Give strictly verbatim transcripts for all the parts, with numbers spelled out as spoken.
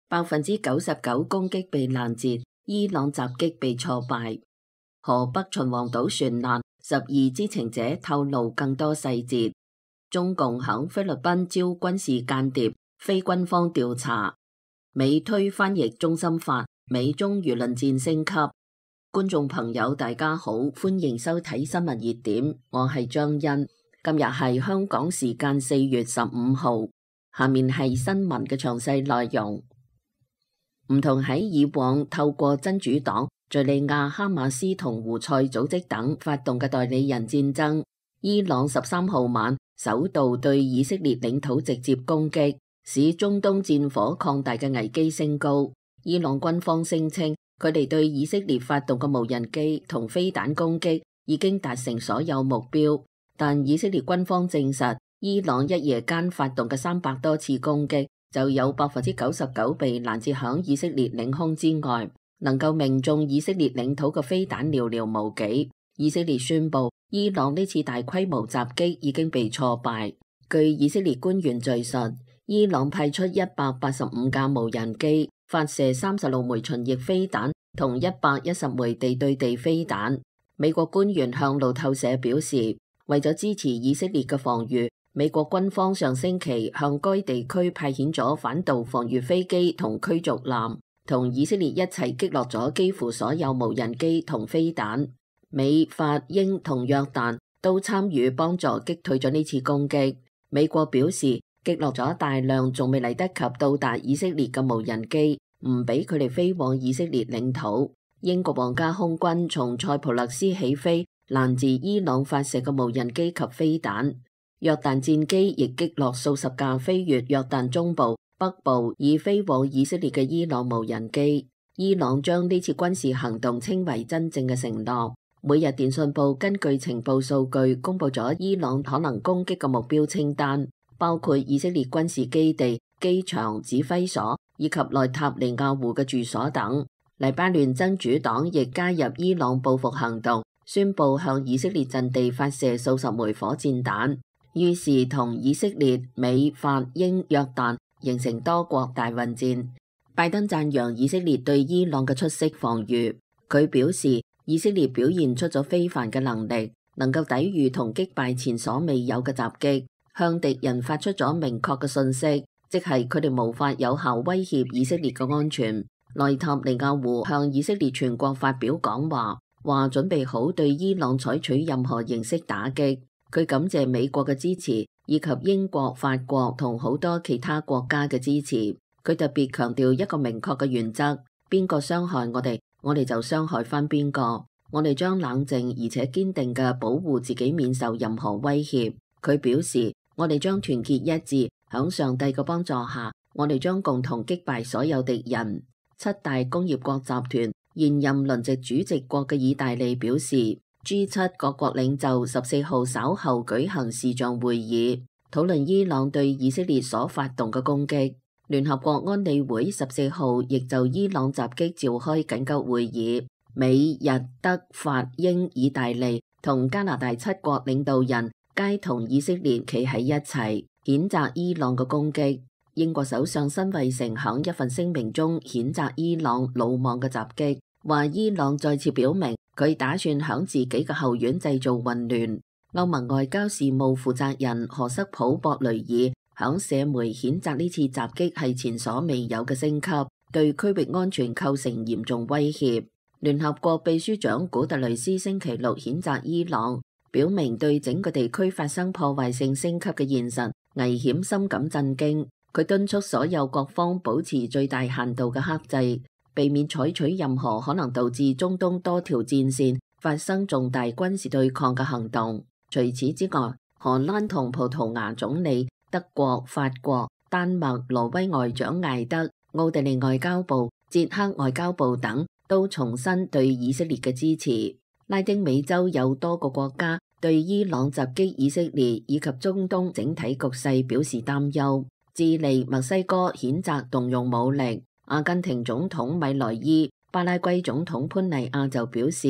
百分之九十九攻擊被攔截，伊朗襲擊被挫敗。河北秦皇島船難，十二知情者透露更多細節。中共響菲律賓招軍事間諜，非軍方調查。美推翻譯中心法，美中輿論戰升級。觀眾朋友大家好，歡迎收睇新聞熱點，我係張欣。今日係香港時間四月十五號，下面係新聞嘅詳細內容。唔同喺以往透過真主黨、敘利亞哈馬斯同胡塞組織等發動嘅代理人戰爭，伊朗十三號晚首度對以色列領土直接攻擊，使中東戰火擴大嘅危機升高。伊朗軍方聲稱，佢哋對以色列發動嘅無人機同飛彈攻擊已經達成所有目標，但以色列軍方證實，伊朗一夜間發動嘅三百多次攻擊，就有百分之九十九被攔截響以色列領空之外，能夠命中以色列領土嘅飛彈寥寥無幾。以色列宣布，伊朗呢次大規模襲擊已經被挫敗。據以色列官員敘述，伊朗派出一百八十五架無人機，發射三十六枚巡弋飛彈同一百一十枚地對地飛彈。美國官員向路透社表示，為咗支持以色列嘅防禦，美國軍方上星期向該地區派遣咗反導防禦飛機同驅逐艦，同以色列一齊擊落咗幾乎所有無人機同飛彈。美、法、英同約旦都參與幫助擊退咗呢次攻擊。美國表示擊落咗大量仲未嚟得及到達以色列嘅無人機，唔俾佢哋飛往以色列領土。英國皇家空軍從塞浦路斯起飛，攔截伊朗發射嘅無人機及飛彈。約旦戰機亦擊落數十架飛越約旦中部、北部以飛往以色列嘅伊朗無人機。伊朗將呢次軍事行動稱為真正嘅承諾。每日電訊報根據情報數據公布咗伊朗可能攻擊嘅目標清單，包括以色列軍事基地、機場、指揮所以及內塔尼亞胡嘅住所等。黎巴嫩真主黨亦加入伊朗報復行動，宣布向以色列陣地發射數十枚火箭彈。於是同以色列、美、法、英、約旦形成多國大混戰。拜登讚揚以色列對伊朗嘅出色防禦，佢表示以色列表現出咗非凡嘅能力，能夠抵禦同擊敗前所未有嘅襲擊，向敵人發出咗明確嘅信息，即係佢哋無法有效威脅以色列嘅安全。內塔尼亞胡向以色列全國發表講話，話準備好對伊朗採取任何形式打擊。佢感謝美國嘅支持，以及英國、法國同好多其他國家嘅支持。佢特別強調一個明確嘅原則：邊個傷害我哋，我哋就傷害返邊個。我哋將冷靜而且堅定嘅保護自己免受任何威脅。佢表示，我哋將團結一致，響上帝嘅幫助下，我哋將共同擊敗所有敵人。七大工業國集團現任輪值主席國嘅意大利表示，G 七各國領袖十四號稍後舉行視像會議，討論伊朗對以色列所發動嘅攻擊。聯合國安理會十四號亦就伊朗襲擊召開緊急會議，美、日、德、法、英、意大利同加拿大七國領導人皆同以色列企喺一齊，譴責伊朗嘅攻擊。英國首相辛偉誠響一份聲明中譴責伊朗魯莽嘅襲擊，話伊朗再次表明佢打算響自己嘅後院製造混亂。歐盟外交事務負責人何塞普博雷爾響社媒譴責呢次襲擊係前所未有嘅升級，對區域安全構成嚴重威脅。聯合國秘書長古特雷斯星期六譴責伊朗，表明對整個地區發生破壞性升級嘅現實危險深感震驚。佢敦促所有各方保持最大限度嘅克制，避免採取任何可能導致中東多條戰線發生重大軍事對抗嘅行動。除此之外，荷蘭同葡萄牙總理、德國、法國、丹麥、挪威外長艾德、奧地利外交部、捷克外交部等都重申對以色列嘅支持。拉丁美洲有多個國家對伊朗襲擊以色列以及中東整體局勢表示擔憂。智利、墨西哥譴責動用武力。阿根廷總統米萊伊、巴拉圭總統潘尼亞就表示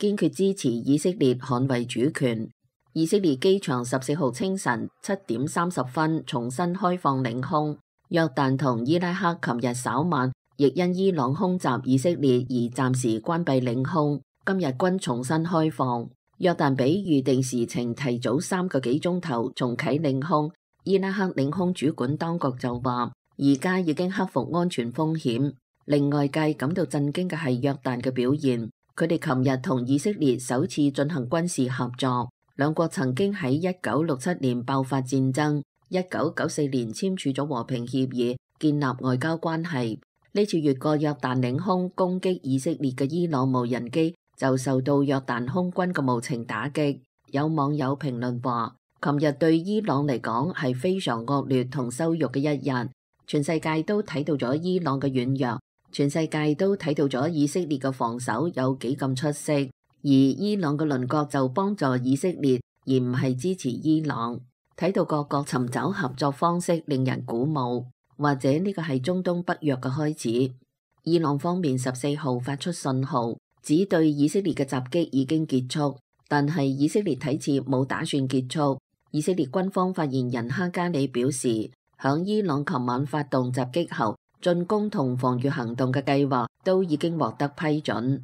堅決支持以色列捍衛主權。以色列機場十四號清晨七點三十分重新開放領空，約旦同伊拉克琴日稍晚亦因伊朗空襲以色列而暫時關閉領空，今日均重新開放。約旦比預定時程提早三個幾鐘頭重啟領空。伊拉克領空主管當局就話，而家已經克服安全風險。令外界感到震驚嘅係約旦嘅表現，佢哋琴日同以色列首次進行軍事合作。兩國曾經喺一九六七年爆發戰爭，一九九四年簽署咗和平協議，建立外交關係。呢次越過約旦領空攻擊以色列嘅伊朗無人機就受到約旦空軍嘅無情打擊。有網友評論話，琴日對伊朗嚟講係非常惡劣同羞辱嘅一日，全世界都睇到咗伊朗嘅軟弱，全世界都睇到咗以色列嘅防守有幾咁出色，而伊朗嘅鄰國就幫助以色列，而唔係支持伊朗。睇到各國尋找合作方式，令人鼓舞。或者呢個係中東北約嘅開始。伊朗方面十四號發出信號，指對以色列嘅襲擊已經結束，但係以色列睇似冇打算結束。以色列軍方發言人哈加里表示，響伊朗琴晚發動襲擊後，進攻同防禦行動嘅計劃都已經獲得批准。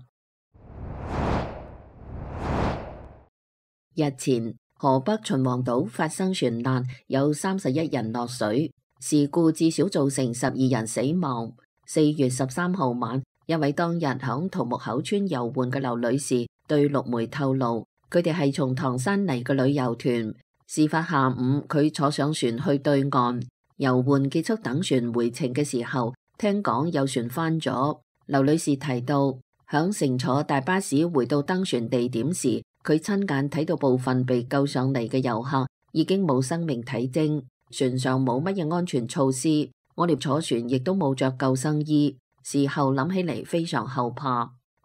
日前，河北秦皇島發生船難，有三十一人落水。事故至少造成十二人死亡。四月十三號晚，一位當日響桃木口村遊玩嘅劉女士對陸媒透露，佢哋係從唐山嚟嘅旅遊團。事發下午，佢坐上船去對岸遊玩，結束等船回程嘅時候，聽講有船翻咗。劉女士提到，響乘坐大巴士回到登船地點時，佢親眼睇到部分被救上嚟嘅遊客已經冇生命體徵。船上冇乜嘢安全措施，我哋坐船亦都冇着救生衣。事後諗起嚟非常後怕。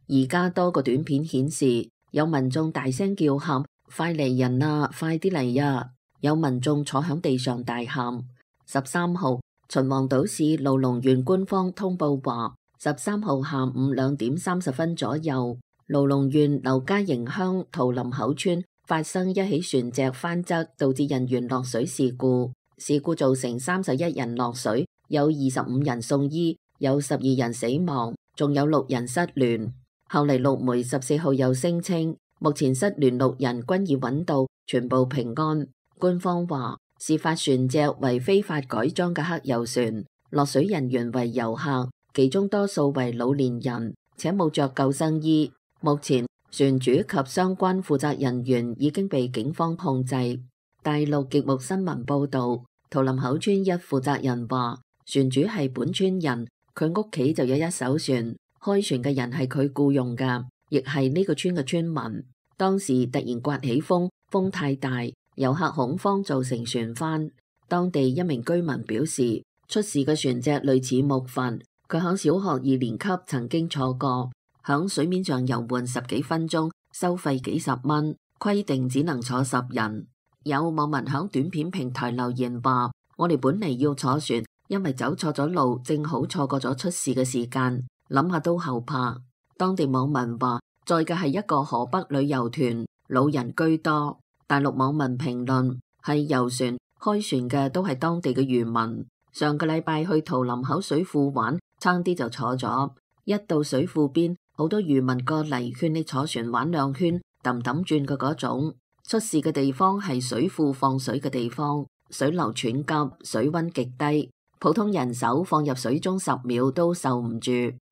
而家多個短片顯示，有民眾大聲叫喊：快嚟人啊，快啲嚟呀！有民眾坐響地上大喊。十三號，秦皇島市盧龍縣官方通報話，十三號下午兩點三十分左右，盧龍縣劉家營鄉桃林口村發生一起船隻翻側，導致人員落水事故。事故造成三十一人落水，有二十五人送醫，有十二人死亡，仲有六人失聯。後嚟陸媒十四號又聲稱，目前失聯六人均已揾到，全部平安。官方話，事發船隻為非法改裝嘅黑油船，落水人員為遊客，其中多數為老年人，且冇着救生衣。目前船主及相關負責人員已經被警方控制。大陸極目新聞報道，桃林口村一負責人話，船主係本村人，佢屋企就有一艘船，開船嘅人係佢僱用噶，亦係呢個村嘅村民。當時突然颳起風，風太大，遊客恐慌造成船翻。當地一名居民表示，出事嘅船隻類似木筏，佢響小學二年級曾經坐過，響水面上遊玩十幾分鐘，收費幾十蚊，規定只能坐十人。有網民響短片平台留言話，我哋本嚟要坐船，因為走錯咗路，正好錯過咗出事嘅時間，諗下都後怕。當地網民話，載嘅係一個河北旅遊團，老人居多。大陸網民評論，係遊船，開船嘅都係當地嘅漁民。上個禮拜去桃林口水庫玩，差啲就坐咗，一到水庫邊，好多漁民過嚟勸你坐船玩兩圈，氹氹轉嘅嗰種。出事嘅地方係水庫放水嘅地方，水流湍急，水溫極低，普通人手放入水中十秒都受唔住。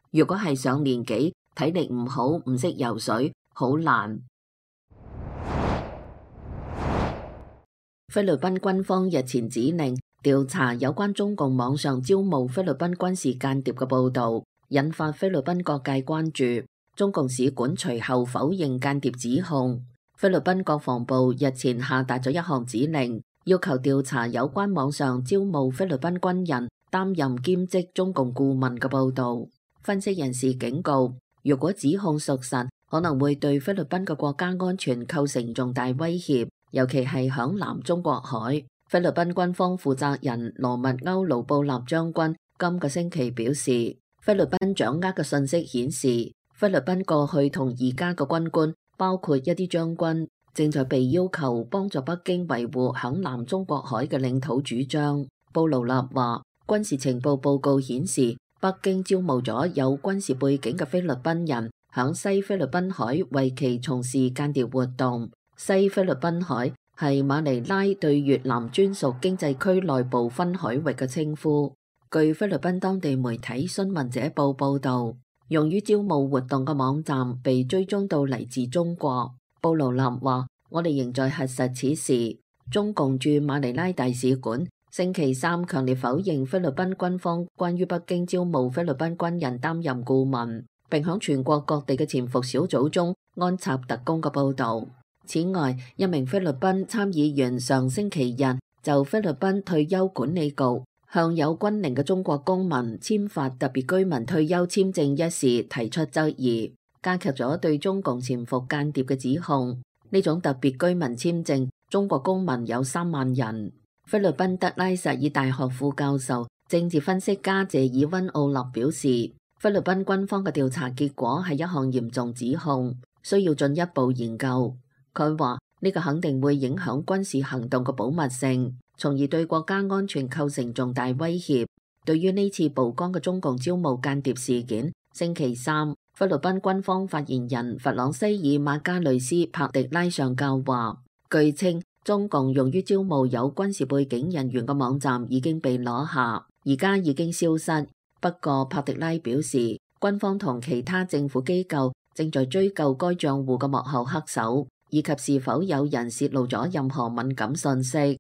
如果係上年紀，體力唔好，唔識游水，好難。菲律賓軍方日前指令調查有關中共網上招募菲律賓軍事間諜嘅報道，引發菲律賓各界關注。中共使館隨後否認間諜指控。菲律賓國防部日前下達咗一項指令，要求調查有關網上招募菲律賓軍人擔任兼職中共顧問嘅報道。分析人士警告，如果指控屬實，可能會對菲律賓嘅國家安全構成重大威脅，尤其係響南中國海。菲律賓軍方負責人羅密歐盧布納將軍今個星期表示，菲律賓掌握嘅信息顯示，菲律賓過去同而家嘅軍官，包括一啲將軍，正在被要求幫助北京維護響南中國海嘅領土主張。布勞納話，軍事情報報告顯示，北京招募咗有軍事背景嘅菲律賓人，響西菲律賓海為其從事間諜活動。西菲律賓海係馬尼拉對越南專屬經濟區內部分海域嘅稱呼。據菲律賓當地媒體《新聞者報》報導，用於招募活動嘅網站被追蹤到嚟自中國。布勞納話：我哋仍在核實此事。中共駐馬尼拉大使館星期三強烈否認菲律賓軍方關於北京招募菲律賓軍人擔任顧問，並響全國各地嘅潛伏小組中安插特工嘅報導。此外，一名菲律賓參議員上星期日就菲律賓退休管理局向有軍齡嘅中國公民簽發特別居民退休簽證一事提出質疑，加劇咗對中共潛伏間諜嘅指控。呢種特別居民簽證，中國公民有三萬人。菲律賓德拉薩爾大學副教授、政治分析家謝爾溫奧納表示，菲律賓軍方嘅調查結果係一項嚴重指控，需要進一步研究。佢話呢個肯定會影響軍事行動嘅保密性，從而對國家安全構成重大威脅。對於呢次曝光嘅中共招募間諜事件，星期三，菲律賓軍方發言人弗朗西爾馬加雷斯帕迪拉上校話，據稱，中共用於招募有軍事背景人員嘅網站已經被攞下，而家已經消失。不過帕迪拉表示，軍方同其他政府機構正在追究該賬戶嘅幕後黑手，以及是否有人泄露咗任何敏感信息。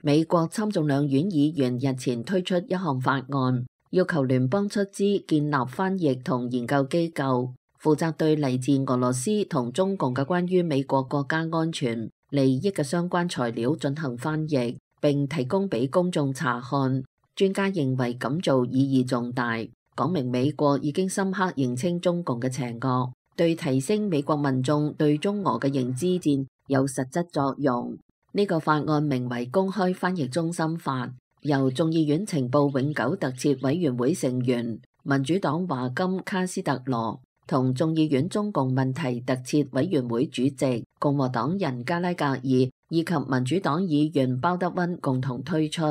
美國參眾兩院議員日前推出一項法案，要求聯邦出資建立翻譯同研究機構，負責對嚟自俄羅斯同中共嘅關於美國國家安全利益嘅相關材料進行翻譯，並提供俾公眾查看。專家認為咁做意義重大，講明美國已經深刻認清中共嘅邪惡，對提升美國民眾對中俄嘅認知戰有實質作用。呢、這個法案名為《公開翻譯中心法》，由眾議院情報永久特設委員會成員民主黨華金卡斯特羅同眾議院中共問題特設委員會主席共和黨人加拉格爾以及民主黨議員鮑德溫共同推出。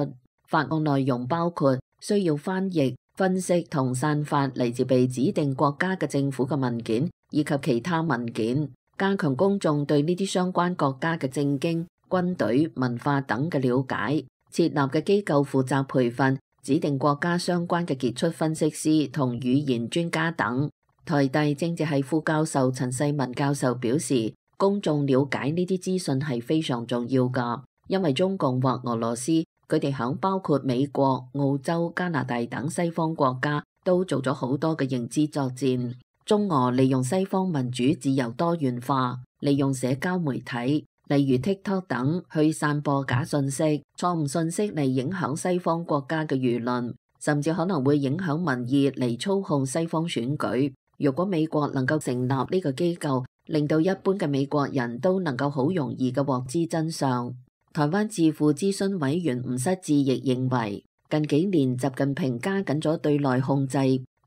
法案內容包括需要翻譯、分析同散發嚟自被指定國家嘅政府嘅文件以及其他文件，加強公眾對呢啲相關國家嘅政經、軍隊、文化等嘅了解。設立嘅機構負責培訓指定國家相關嘅傑出分析師同語言專家等。台大政治系副教授陳世文教授表示，公眾了解呢啲資訊係非常重要㗎，因為中共或俄羅斯佢哋響包括美國、澳洲、加拿大等西方國家都做咗好多嘅認知作戰。中俄利用西方民主自由多元化，利用社交媒體例如 TikTok 等去散播假信息、錯誤信息嚟影響西方國家嘅輿論，甚至可能會影響民意嚟操控西方選舉。如果美國能夠成立呢個機構，令到一般嘅美國人都能夠好容易嘅獲知真相。台灣智庫諮詢委員吳失志亦認為，近幾年習近平加緊咗對內控制，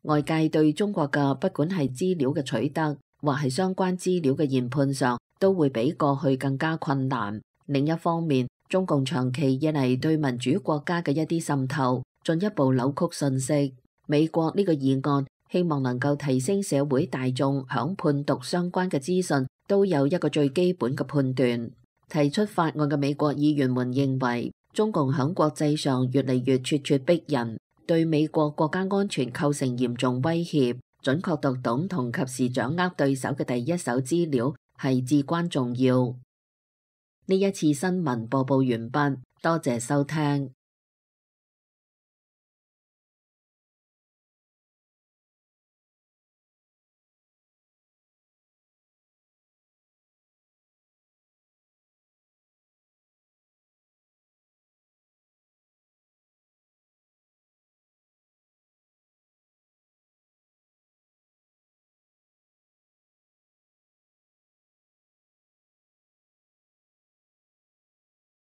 外界對中國嘅不管係資料嘅取得，或係相關資料嘅研判上，都會比過去更加困難。另一方面，中共長期以嚟對民主國家嘅一啲滲透，進一步扭曲信息。美國呢個議案希望能夠提升社會大眾響判讀相關嘅資訊都有一個最基本嘅判斷。提出法案嘅美國議員們認為，中共響國際上越嚟越咄咄逼人，對美國國家安全構成嚴重威脅。準確讀懂同及時掌握對手嘅第一手資料係至關重要。呢一次新聞播報完畢，多謝收聽。